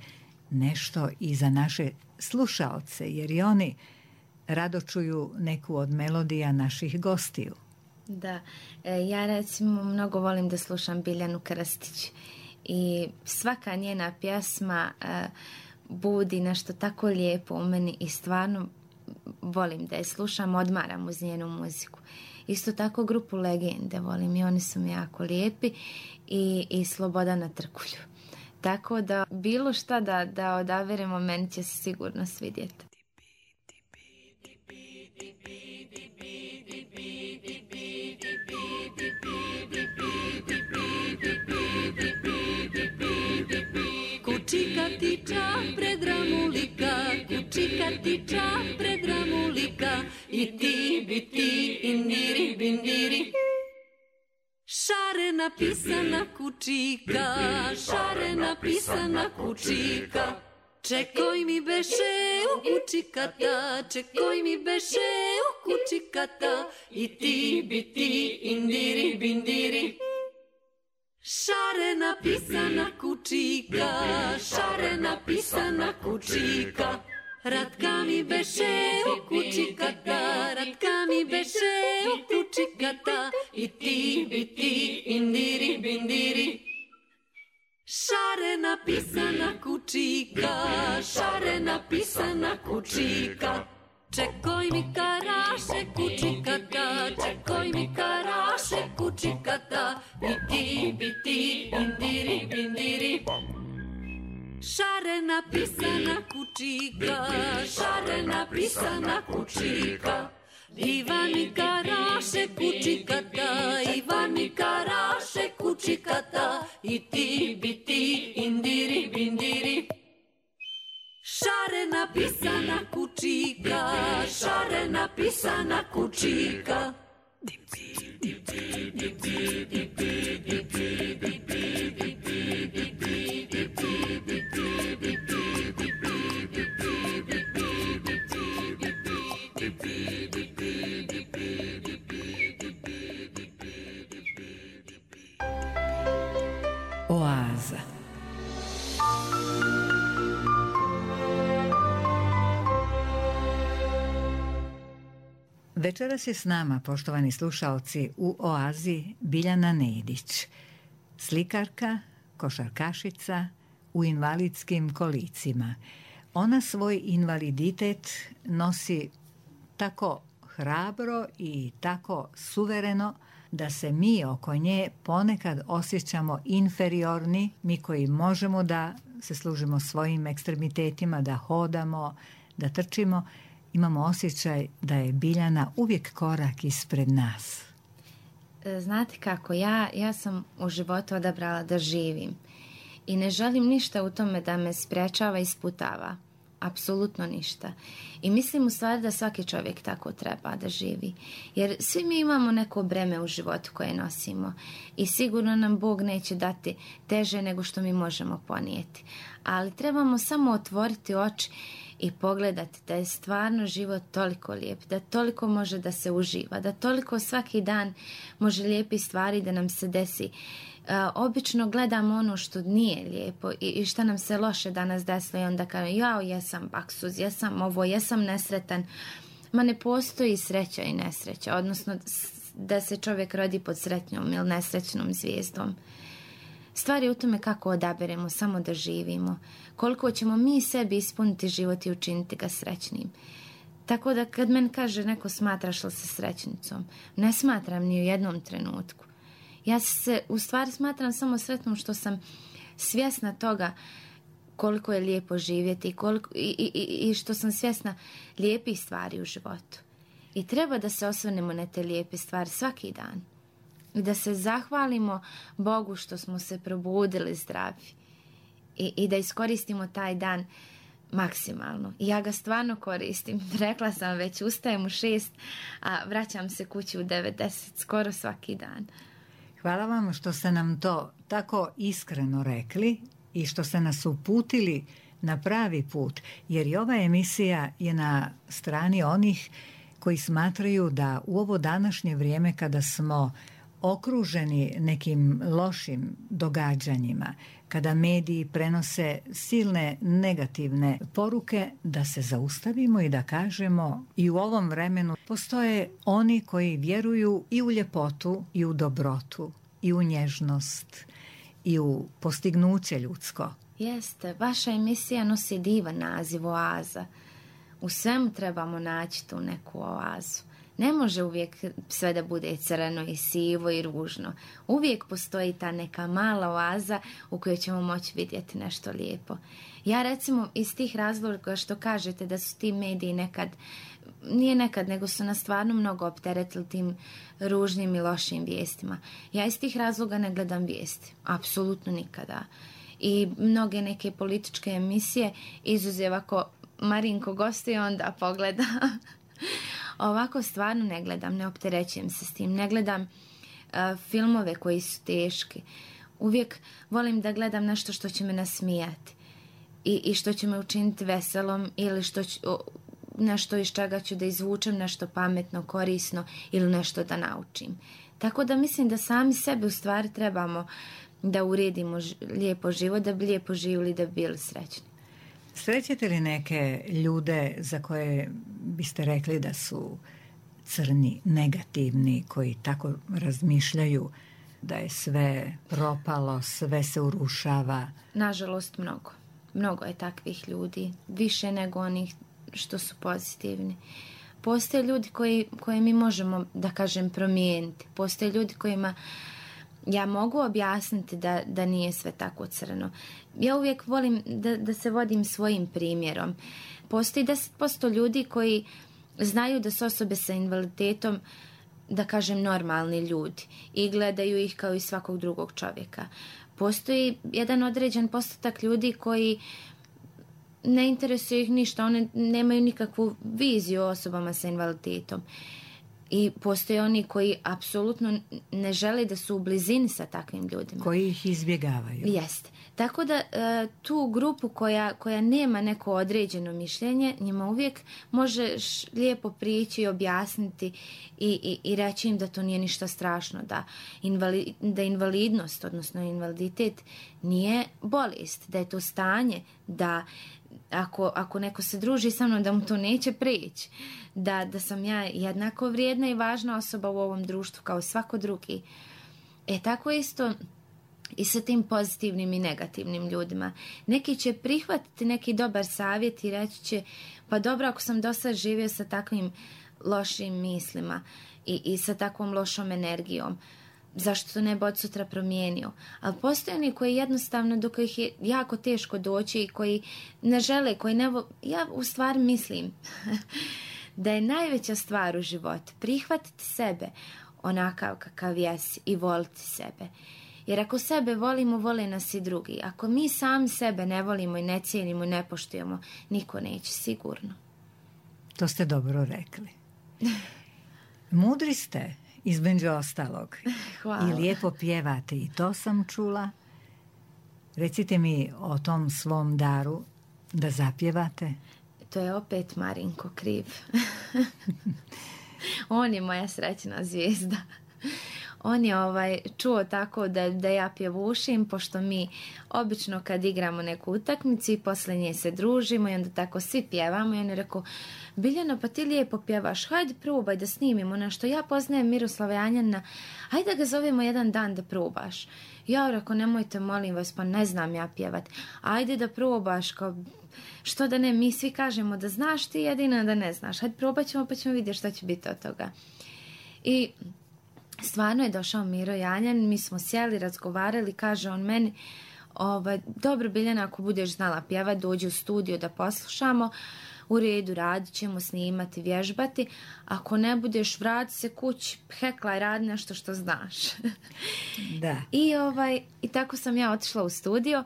nešto i za naše slušaoce, jer i oni rado čuju neku od melodija naših gostiju. Da, ja recimo mnogo volim da slušam Biljanu Krstić i svaka njena pjesma budi nešto tako lijepo u meni i stvarno volim da je slušam, odmaram uz njenu muziku. Isto tako grupu Legende volim i oni su mi jako lijepi i, i Slobodana Trkulju. Tako da bilo šta da, da odaberemo, meni će se sigurno svidjeti. Kučika tiča pred ramulika, kučika tiča pred ramulika, i ti bi ti indiri bindiri. Šare napisana kučika, šare napisana kučika. Čekoj mi beše u kučikata, čekoj mi beše u kučikata, i ti bi ti indiri bindiri. Šare napisana kučika, šare napisana kučika. Ratka mi beše u kučikata, ratka mi beše u kučikata, i ti bi ti indiri bindiri. Šare napisana kučika, šare napisana kučika. Čekoj mi karaše kučikata, čekoj mi karaše kučikata, i ti bi ti indiri bindiri. Šare napisana kučika, šare napisana kučika. Ivan mi karaše kučikata, Ivan mi karaše kučikata, i ti bi ti indiri bindiri. Šare napisana kučika, šare napisana kučika. Oaza. Večeras je s nama, poštovani slušaoci, u Oazi Biljana Nedić, slikarka, košarkašica u invalidskim kolicima. Ona svoj invaliditet nosi tako hrabro i tako suvereno da se mi oko nje ponekad osjećamo inferiorni, mi koji možemo da se služimo svojim ekstremitetima, da hodamo, da trčimo. Imamo osjećaj da je Biljana uvijek korak ispred nas. Znate kako, ja, ja sam u životu odabrala da živim i ne želim ništa u tome da me sprečava i sputava. apsolutno ništa. I mislim u stvari da svaki čovjek tako treba da živi. Jer svi mi imamo neko breme u životu koje nosimo i sigurno nam Bog neće dati teže nego što mi možemo ponijeti. Ali trebamo samo otvoriti oči i pogledati da je stvarno život toliko lijep, da toliko može da se uživa, da toliko svaki dan može lijepi stvari da nam se desi. Uh, obično gledamo ono što nije lijepo i, i što nam se loše danas desilo i onda kažem, jao, jesam baksuz, jesam ovo, jesam nesretan. Ma ne postoji sreća i nesreća, odnosno da se čovjek rodi pod sretnjom ili nesrećnom zvijezdom. Stvar je u tome kako odaberemo samo da živimo, koliko ćemo mi sebi ispuniti život i učiniti ga srećnim. Tako da kad meni kaže neko smatraš li se srećnicom, ne smatram ni u jednom trenutku. Ja se u stvari smatram samo sretnom što sam svjesna toga koliko je lijepo živjeti i, koliko, i, i, i što sam svjesna lijepih stvari u životu. I treba da se osvrnemo na te lijepe stvari svaki dan. I da se zahvalimo Bogu što smo se probudili zdravi. I, i da iskoristimo taj dan maksimalno. I ja ga stvarno koristim. Rekla sam već, ustajem u šest, a vraćam se kući u devet, deset, skoro svaki dan. Hvala vam što ste nam to tako iskreno rekli i što ste nas uputili na pravi put, jer i ova emisija je na strani onih koji smatraju da u ovo današnje vrijeme kada smo okruženi nekim lošim događanjima, kada mediji prenose silne negativne poruke, da se zaustavimo i da kažemo i u ovom vremenu postoje oni koji vjeruju i u ljepotu i u dobrotu i u nježnost i u postignuće ljudsko. Jeste, vaša emisija nosi divan naziv Oaza. U svemu trebamo naći tu neku oazu. Ne može uvijek sve da bude crno i sivo i ružno. Uvijek postoji ta neka mala oaza u kojoj ćemo moći vidjeti nešto lijepo. Ja recimo iz tih razloga što kažete da su ti mediji nekad, nije nekad, nego su nas stvarno mnogo opteretili tim ružnim i lošim vijestima. Ja iz tih razloga ne gledam vijesti. Apsolutno nikada. I mnoge neke političke emisije, izuzev ako Marinko gostuje, onda pogleda. Ovako stvarno ne gledam, ne opterećujem se s tim. Ne gledam uh, filmove koji su teški. Uvijek volim da gledam nešto što će me nasmijati i, i što će me učiniti veselom ili što ću, nešto iz čega ću da izvučem nešto pametno, korisno ili nešto da naučim. Tako da mislim da sami sebe u stvari trebamo da uredimo ž- lijepo život, da bi lijepo živjeli, da bi bili srećni. Srećete li neke ljude za koje biste rekli da su crni, negativni, koji tako razmišljaju da je sve propalo, sve se urušava? Nažalost, mnogo. Mnogo je takvih ljudi. Više nego onih što su pozitivni. Postoje ljudi koji, koje mi možemo, da kažem, promijeniti. Postoje ljudi kojima ja mogu objasniti da, da nije sve tako crno. Ja uvijek volim da, da se vodim svojim primjerom. Postoji deset posto ljudi koji znaju da su osobe sa invaliditetom, da kažem, normalni ljudi i gledaju ih kao i svakog drugog čovjeka. Postoji jedan određen postotak ljudi koji ne interesuje ih ništa, one nemaju nikakvu viziju o osobama sa invaliditetom. I postoje oni koji apsolutno ne žele da su u blizini sa takvim ljudima. Koji ih izbjegavaju. Jeste. Tako da tu grupu koja, koja nema neko određeno mišljenje, njima uvijek možeš lijepo prići i objasniti i, i, i reći im da to nije ništa strašno, da, invali, da invalidnost, odnosno invaliditet, nije bolest, da je to stanje, da Ako, ako neko se druži sa mnom, da mu to neće prići. Da, da sam ja jednako vrijedna i važna osoba u ovom društvu kao svako drugi. E tako isto i sa tim pozitivnim i negativnim ljudima. Neki će prihvatiti neki dobar savjet i reći će, pa dobro, ako sam do sad živio sa takvim lošim mislima i, i sa takvom lošom energijom, zašto to ne bi od sutra promijenio? Ali postoje oni koji jednostavno, do kojih je jako teško doći i koji ne žele, koji ne... Vo... Ja u stvari mislim da je najveća stvar u životu prihvatiti sebe onakav kakav jesi i voliti sebe. Jer ako sebe volimo, vole nas i drugi. Ako mi sami sebe ne volimo i ne cijenimo i ne poštujemo, niko neće sigurno. To ste dobro rekli. Mudri ste, između ostalog. Hvala. I lijepo pjevate, i to sam čula. Recite mi o tom svom daru da zapjevate. To je opet Marinko kriv. On je moja srećna zvijezda. On je ovaj, čuo tako da, da ja pjevušim, pošto mi obično kad igramo neku utakmicu i posle nje se družimo i onda tako svi pjevamo i on je rekao, Biljana, pa ti lijepo pjevaš, hajde probaj da snimimo nešto. Ja poznajem Miroslava Janjanina, hajde da ga zovemo jedan dan da probaš. Ja rekao, nemojte, molim vas, pa ne znam ja pjevat. Ajde da probaš, kao, što da ne, mi svi kažemo da znaš, ti jedina da ne znaš. Hajde probat ćemo pa ćemo vidjeti šta će biti od toga. I stvarno je došao Miro Janjan, mi smo sjeli, razgovarali, kaže on meni, ovaj, dobro Biljana, ako budeš znala pjevat, dođi u studio da poslušamo, u redu, radit ćemo, snimati, vježbati, ako ne budeš, vrati se kući, hekla i radi nešto što znaš. Da. I, ovaj, i tako sam ja otišla u studio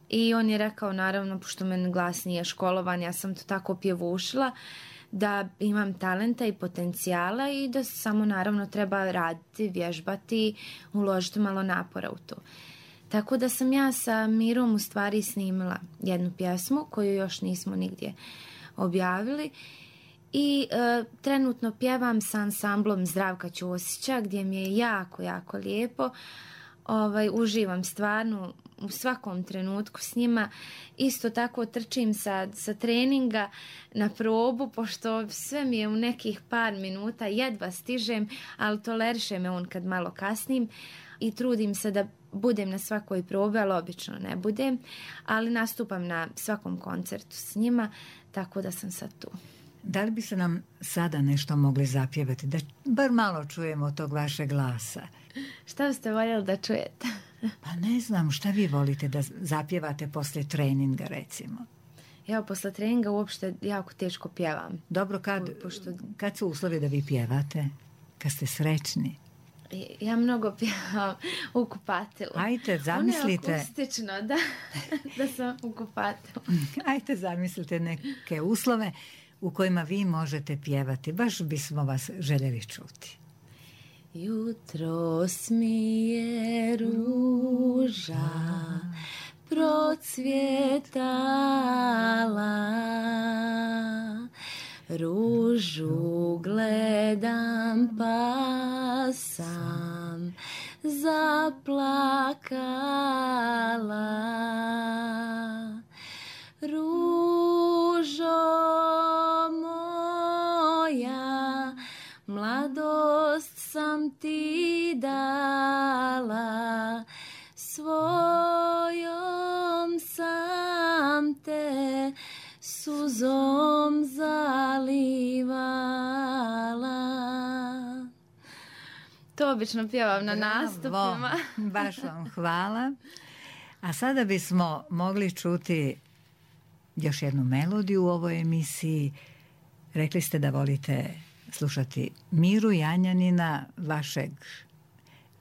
i on je rekao, naravno, pošto meni glas nije školovan, ja sam to tako pjevušila, da imam talenta i potencijala i da samo naravno treba raditi, vježbati, uložiti malo napora u to. Tako da sam ja sa Mirom u stvari snimila jednu pjesmu koju još nismo nigdje objavili i e, trenutno pjevam sa ansamblom Zdravka Ćosića gdje mi je jako, jako lijepo. Ovaj, uživam stvarno u svakom trenutku s njima. Isto tako trčim sa, sa treninga na probu, pošto sve mi je u nekih par minuta, jedva stižem, ali toleriše me on kad malo kasnim i trudim se da budem na svakoj probi, ali obično ne budem, ali nastupam na svakom koncertu s njima, tako da sam sad tu. Da li bi se nam sada nešto mogli zapjevati, da bar malo čujemo tog vašeg glasa? Šta biste voljeli da čujete? Pa ne znam, šta vi volite da zapjevate poslije treninga, recimo? Ja posle treninga uopšte jako teško pjevam. Dobro, kad, Pošto... kad su uslovi da vi pjevate? Kad ste srećni? Ja mnogo pjevam u kupatilu. Ajte, zamislite... Ono je akustično, da, da sam u kupatilu. Ajte, zamislite neke uslove u kojima vi možete pjevati. Baš bismo vas željeli čuti. Jutros mi je ruža procvjetala, ružu gledam pa sam zaplakala. Ružo moja, mladost sam ti dala, svojom sam te suzom zalivala. To obično pjevam na nastupima. Baš vam hvala. A sada bismo mogli čuti još jednu melodiju u ovoj emisiji. Rekli ste da volite slušati Miru Janjanina, vašeg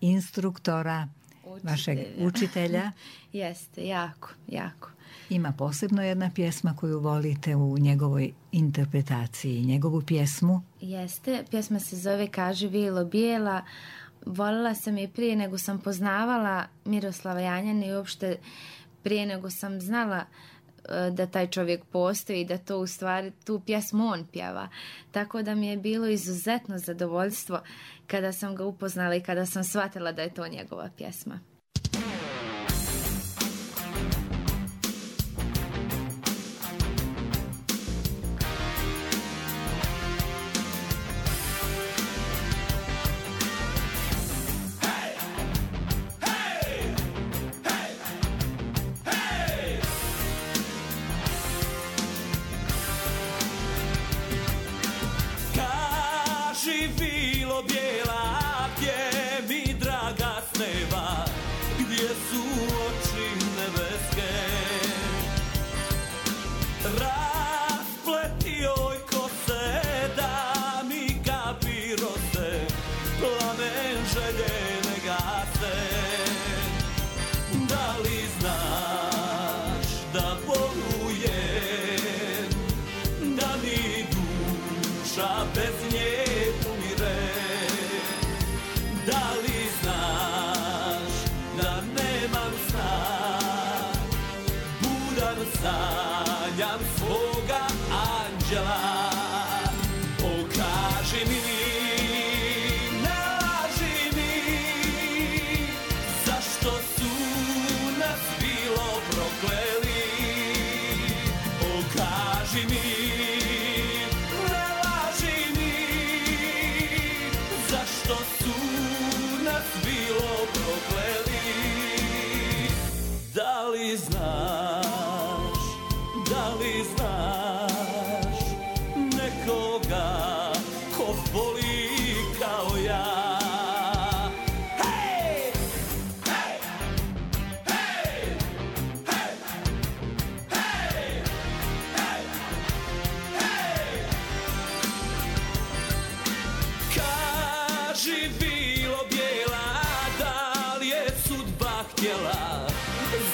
instruktora, učitelja. vašeg učitelja. Jeste, jako, jako. Ima posebno jedna pjesma koju volite u njegovoj interpretaciji, njegovu pjesmu? Jeste, pjesma se zove Kaži Vilo bijela. Volila sam je prije nego sam poznavala Miroslava Janjana i uopšte prije nego sam znala da taj čovjek postoji i da to u stvari tu pjesmu on pjeva. Tako da mi je bilo izuzetno zadovoljstvo kada sam ga upoznala i kada sam shvatila da je to njegova pjesma. Bilo bijela, gdje mi draga sneva, sanjam svoga anđela. Pokaži mi, ne laži mi, zašto su nas bilo prokleli. Pokaži mi, ne laži mi, zašto su nas bilo prokleli. Da li znaš, da li znaš nekoga ko voli kao ja? Hej! Hej! Hej! Hej! Hej! Hej! Hej! Kaži bilo bijela, da li je sudba htjela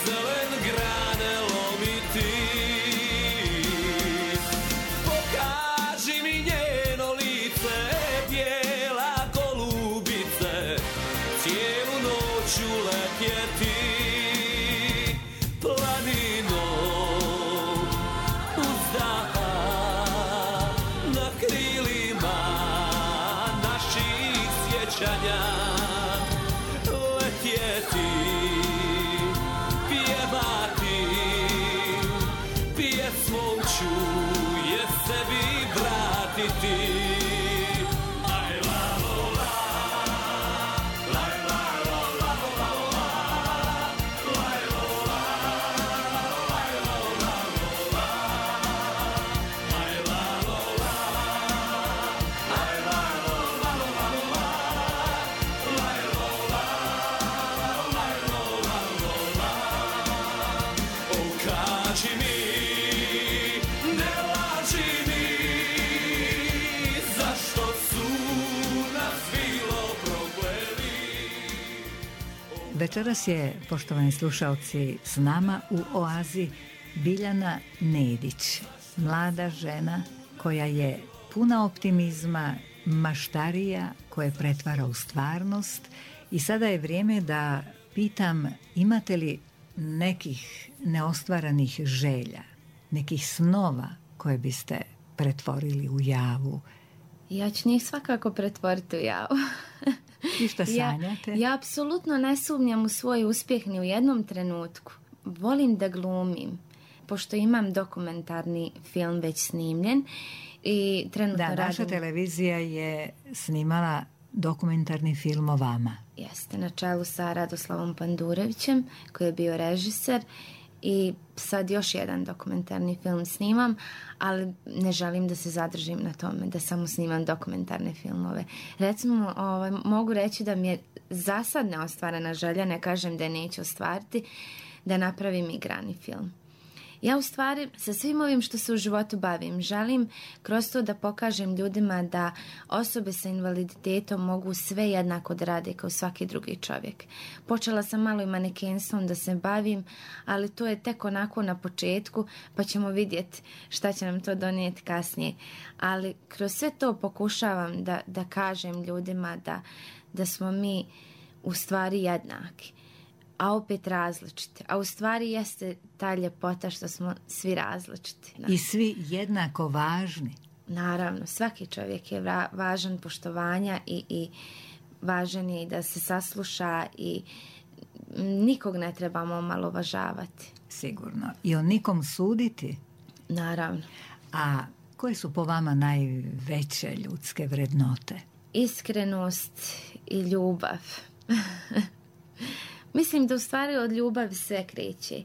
zelen grane lomiti. Pokaži mi njeno lice, bijela golubice, cijelu noću letjeti planinom uzdaha na krilima naših sjećanja. Letjeti, pjevati, pjesmom ću je sebi vratiti. Aj la lo la, laj la lo la lo la, laj lo la, laj lo la lo la, aj la lo la, aj la lo la lo la lo la, laj lo la, laj lo la lo la. Okaži mi, ne laži mi, zašto su nas bilo prokleli. Večeras je, poštovani slušalci, s nama u Oazi Biljana Nedić, mlada žena koja je puna optimizma, maštarija koje pretvara u stvarnost. I sada je vrijeme da pitam, imate li nekih neostvaranih želja, nekih snova koje biste pretvorili u javu? Ja ću njih svakako pretvoriti u javu. I šta sanjate? Ja, ja apsolutno ne sumnjam u svoj uspjeh ni u jednom trenutku. Volim da glumim, pošto imam dokumentarni film već snimljen i trenutno da, radim... naša televizija je snimala dokumentarni film o vama. Jeste, na čelu sa Radoslavom Pandurevićem, koji je bio režiser, i sad još jedan dokumentarni film snimam, ali ne želim da se zadržim na tome, da samo snimam dokumentarne filmove. Recimo, ovaj, mogu reći da mi je za sad neostvarena želja, ne kažem da je neću ostvariti, da napravim igrani film. Ja u stvari sa svim ovim što se u životu bavim želim kroz to da pokažem ljudima da osobe sa invaliditetom mogu sve jednako da rade kao svaki drugi čovjek. Počela sam malo i manekenstvom da se bavim, ali to je tek onako na početku, pa ćemo vidjeti šta će nam to donijeti kasnije. Ali kroz sve to pokušavam da, da kažem ljudima da, da smo mi u stvari jednaki, a opet različiti. A u stvari jeste ta ljepota što smo svi različiti. I svi jednako važni. Naravno, svaki čovjek je va- važan poštovanja i, i važan je i da se sasluša i nikog ne trebamo omalovažavati. Sigurno. I o nikom suditi. Naravno. A koje su po vama najveće ljudske vrednote? Iskrenost i ljubav. Mislim da u stvari od ljubavi sve kreće.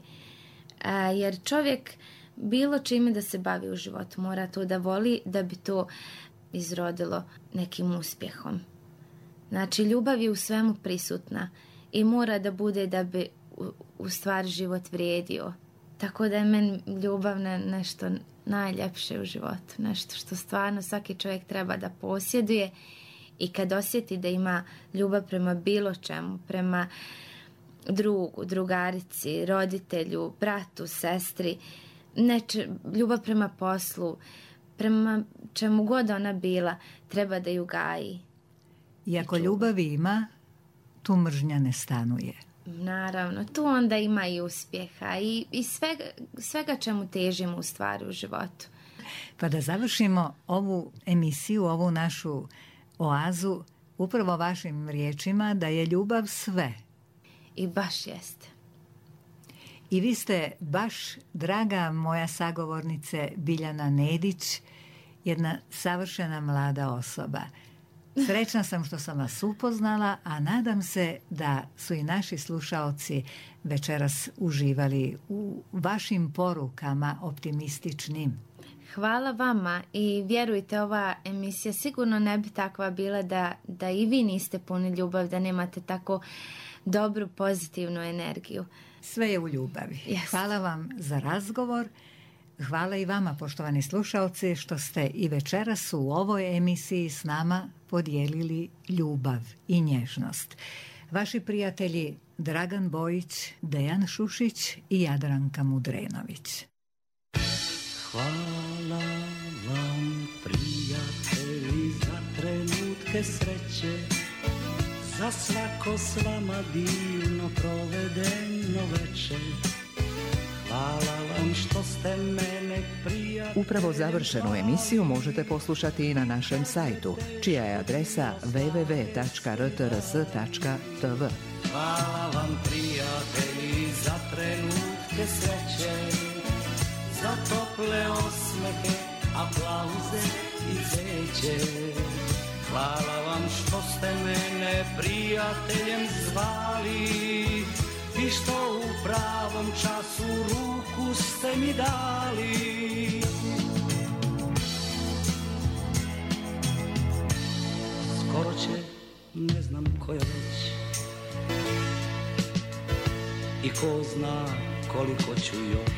A, jer čovjek bilo čime da se bavi u životu mora to da voli da bi to izrodilo nekim uspjehom. Znači, ljubav je u svemu prisutna i mora da bude da bi u, u stvari život vrijedio. Tako da je meni ljubav ne, nešto najljepše u životu. Nešto što stvarno svaki čovjek treba da posjeduje i kad osjeti da ima ljubav prema bilo čemu, prema drugu, drugarici, roditelju, bratu, sestri, neče, ljubav prema poslu, prema čemu god ona bila, treba da ju gaji. I ako ljubavi ima, tu mržnja ne stanuje. Naravno, tu onda ima i uspjeha i, i svega, svega čemu težimo u stvari u životu. Pa da završimo ovu emisiju, ovu našu oazu, upravo vašim riječima da je ljubav sve. I baš jeste. I vi ste baš, draga moja sagovornice Biljana Nedić, jedna savršena mlada osoba. Srećna sam što sam vas upoznala, a nadam se da su i naši slušaoci večeras uživali u vašim porukama optimističnim. Hvala vama i vjerujte, ova emisija sigurno ne bi takva bila da, da i vi niste puni ljubav, da nemate tako dobru pozitivnu energiju. Sve je u ljubavi. Yes. Hvala vam za razgovor. Hvala i vama, poštovani slušaoci, što ste i večeras u ovoj emisiji s nama podijelili ljubav i nježnost. Vaši prijatelji Dragan Bojić, Dejan Šušić i Jadranka Mudrenović. Hvala vam, prijatelji, za trenutke sreće, za svako s vama divno provedeno večer. Hvala vam što ste mene prijatelji. Upravo završenu emisiju možete poslušati i na našem sajtu, čija je adresa w w w tačka r t r s tačka t v. Hvala vam, prijatelji, za trenutke sreće, za tople osmehe, aplauze i cveće. Hvala vam što ste mene prijateljem zvali i što u pravom času ruku ste mi dali. Skoro će, ne znam koja već, i ko zna koliko ću još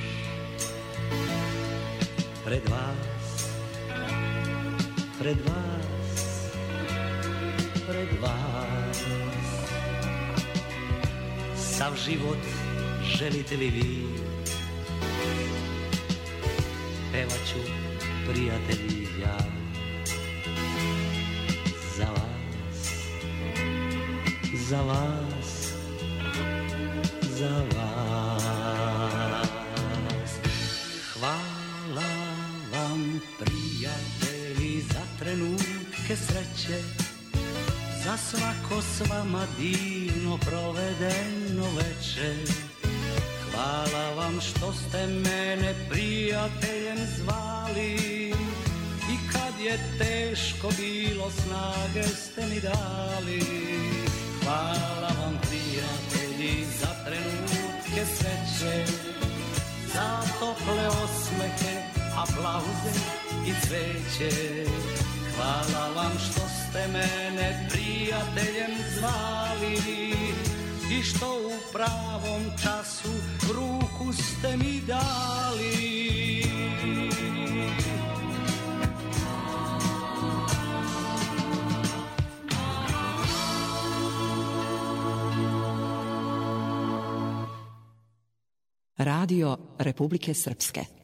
pred vas, pred vas, pred vas. Sav život želite li vi, pevaću, prijatelji, ja za vas, za vas, za vas. Hvala vam, prijatelji, za trenutke sreće, za svako s vama divno provedeno večer. Hvala vam što ste mene prijateljem zvali i kad je teško bilo snage ste mi dali. Hvala vam, prijatelji, za trenutke sreće, za tople osmehe, aplauze i cveće. Hvala vam što ste mene prijateljem zvali i što u pravom času ruku ste mi dali. Radio Republike Srpske.